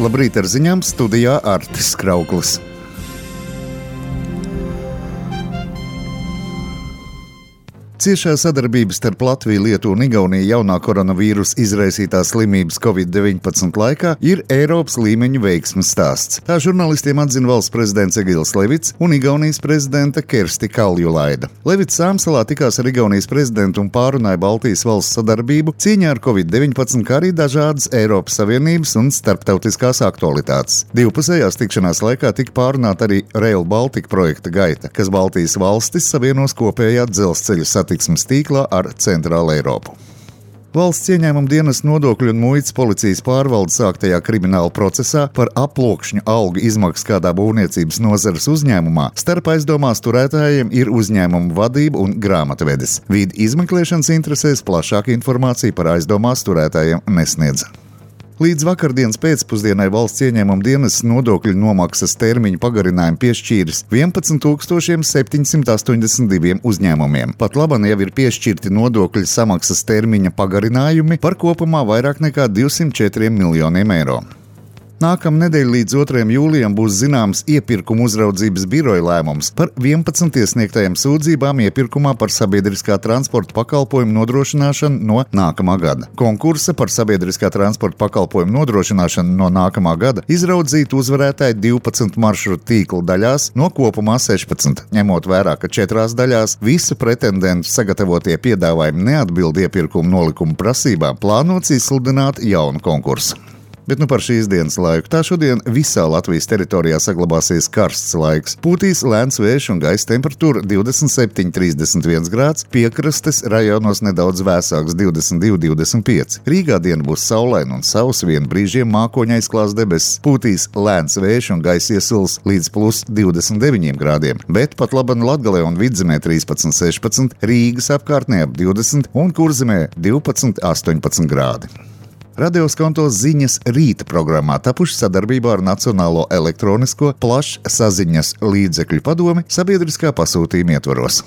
Labrīt ar ziņām, studijā Artis Krauklis. Ciešā sadarbība starp Latviju, Lietuvu un Igauniju jaunā koronavīrusa izraisītās slimības Covid-19 laikā ir Eiropas līmeņa veiksmes stāsts. Tā žurnālistiem atzina valsts prezidents Egils Levits un Igaunijas prezidenta Kersti Kaljulaida. Levits Sāmsalā tikās ar Igaunijas prezidentu un pārunāja Baltijas valsts sadarbību cīņā ar Covid-19, kā arī dažādas Eiropas Savienības un starptautiskās aktualitātes. Divpusējās tikšanās laikā tika pārunāta arī Rail Baltica projekta gaita, kas Baltijas valstis savienos kopējā dzelzceļa satiksmes tīklā ar Centrālu Eiropu. Valsts ieņēmuma dienesta nodokļu un muitas policijas pārvaldes sāktajā krimināla procesā par aploksņu algu izmaksu kādā būvniecības nozares uzņēmumā starp aizdomās turētājiem ir uzņēmuma vadība un grāmatvedis. Vīd izmeklēšanas interesēs plašāka informācija par aizdomās turētājiem nesniedz. Līdz vakardienas pēcpusdienai valsts ieņēmuma dienestas nodokļu nomaksas termiņu pagarinājumu piešķīris 11 782 uzņēmumiem. Pat labāk jau ir piešķirti nodokļu samaksas termiņa pagarinājumi par kopumā vairāk nekā 204 miljoniem eiro. Nākamnedēļ līdz 2. jūlijam būs zināms iepirkuma uzraudzības biroja lēmums par 11 iesniegtajām sūdzībām iepirkumā par sabiedriskā transporta pakalpojumu nodrošināšanu no nākamā gada. Konkursa par sabiedriskā transporta pakalpojumu nodrošināšanu no nākamā gada izraudzīt uzvarētāji 12 maršrutu tīkla daļās no kopumā 16. Ņemot vērā, ka 4 daļās visu pretendentu sagatavotie piedāvājumi neatbild iepirkuma nolikuma prasībām, plānots izsludināt jaunu konkursu. Bet par šīs dienas laiku. Tā šodien visā Latvijas teritorijā saglabāsies karsts laiks. Pūtīs lēns vējš un gaisa temperatūra 27–31 grāds, piekrastes rajonos nedaudz vēsāks 22–25. Rīgā diena būs saulaina un sausa, vien brīžiem mākoņa aizklās debesis. Pūtīs lēns vējš un gaisa iesils līdz plus 29 grādiem, bet pat laban Latgalē un Vidzemē 13–16, Rīgas apkārtnē ap 20 un Kurzemē 12–18 grādi. Radioskonto ziņas rīta programmā tapuši sadarbībā ar Nacionālo elektronisko plašsaziņas līdzekļu padomi sabiedriskā pasūtījuma ietvaros.